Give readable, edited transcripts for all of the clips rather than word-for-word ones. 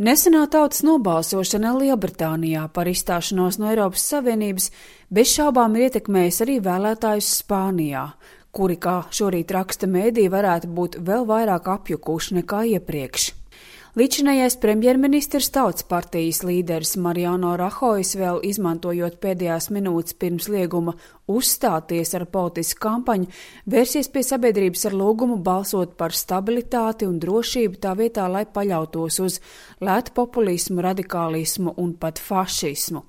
Nesenā tautas nobalsošana Lielbritānijā par izstāšanos no Eiropas Savienības bez šaubām ir ietekmējis arī vēlētājus Spānijā, kuri, kā šorīt raksta mēdī, varētu būt vēl vairāk apjukuši nekā iepriekš. Līdzinājais premjerministrs Tautas partijas līderis Mariano Rajoy vēl izmantojot pēdējās minūtes pirms lieguma uzstāties ar politisku kampaņu, vērsies pie sabiedrības ar lūgumu balsot par stabilitāti un drošību tā vietā, lai paļautos uz lētu populismu, radikālismu un pat fašismu.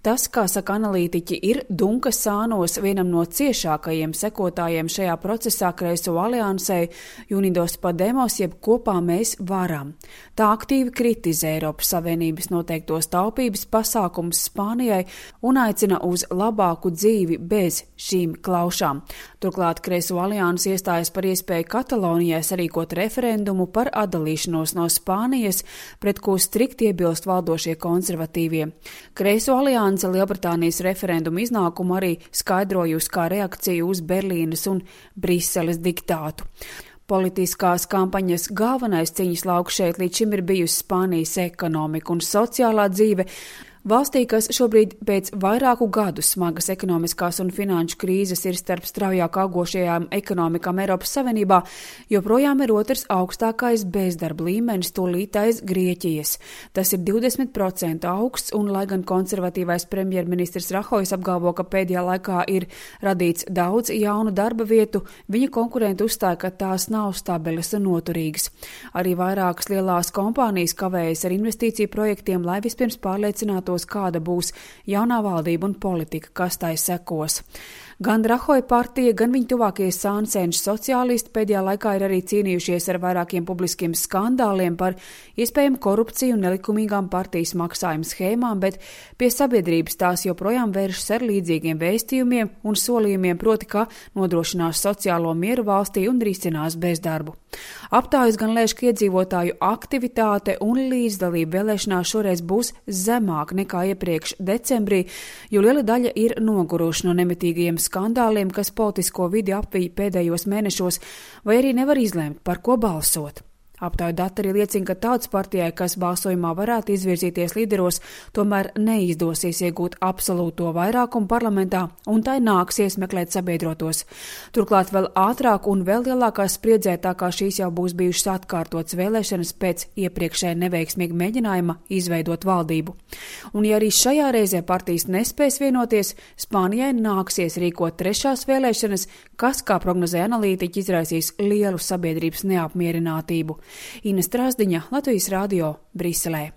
Tas, kā saka analītiķi, ir Dunkas sānos vienam no ciešākajiem sekotājiem šajā procesā Kreiso aliansei Unidos Podemos, jeb Kopā mēs varam. Tā aktīvi kritizē Eiropas Savienības noteiktos taupības pasākumus Spānijai un aicina uz labāku dzīvi bez šīm klaušām. Turklāt Kreiso alianse iestājas par iespēju Katalonijai sarīkot referendumu par atdalīšanos no Spānijas, pret ko strikti iebilst valdošie konservatīvie. Kreiso alianse Lielbritānijas referendumu iznākumu arī skaidrojusi kā reakciju uz Berlīnes un Briseles diktātu. Politiskās kampaņas galvenais cīņas lauks šeit līdz šim ir bijusi Spānijas ekonomika un sociālā dzīve. Valstī, kas šobrīd pēc vairāku gadu smagas ekonomiskās un finanšu krīzes ir starp straujāk augošajām ekonomikām Eiropas Savienībā, joprojām ir otrs augstākais bezdarba līmenis tūlīt aiz Grieķijas. Tas ir 20% augsts, un lai gan konservatīvais premjerministrs Rajoy apgalvo, ka pēdējā laikā ir radīts daudz jaunu darba vietu, viņa konkurenti uzstāja, ka tās nav stabilas un noturīgas. Arī vairākas lielās kompānijas kavējas ar investīciju projektiem, lai vispirms pārliecinātos, kāda būs jaunā valdība un politika, kas tai sekos. Gan Rajoy partija, gan viņa tuvākie sāncenši sociālisti pēdējā laikā ir arī cīnījušies ar vairākiem publiskiem skandāliem par iespējamu korupciju un nelikumīgām partijas maksājumu schēmām, bet pie sabiedrības tās joprojām vēršas ar līdzīgiem vēstījumiem un solījumiem, proti, ka nodrošinās sociālo mieru valstī un risinās bezdarbu. Aptājas gan lēš, ka iedzīvotāju aktivitāte un līdzdalība vēlēšanās šoreiz būs zemāk nekā iepriekš decembrī, jo liela daļa ir noguruši no nemitīgajiem skandāliem, kas politisko vidi apvīja pēdējos mēnešos, vai arī nevar izlemt, par ko balsot. Aptāju dati arī liecina, ka Tautas partijai, kas balsojumā varētu izvirzīties līderos, tomēr neizdosies iegūt absolūto vairākumu parlamentā, un tai nāksies meklēt sabiedrotos. Turklāt vēl ātrāk un vēl lielākā spriedzē, tā kā šīs jau būs bijušas atkārtotas vēlēšanas pēc iepriekšēja neveiksmīga mēģinājuma izveidot valdību. Un ja arī šajā reizē partijas nespēs vienoties, Spānijai nāksies rīkot trešās vēlēšanas, kas, kā prognozē analītiķi, izraisīs lielu sabiedrības neapmierinātību. Ines Trāzdiņa, Latvijas radio, Briselē.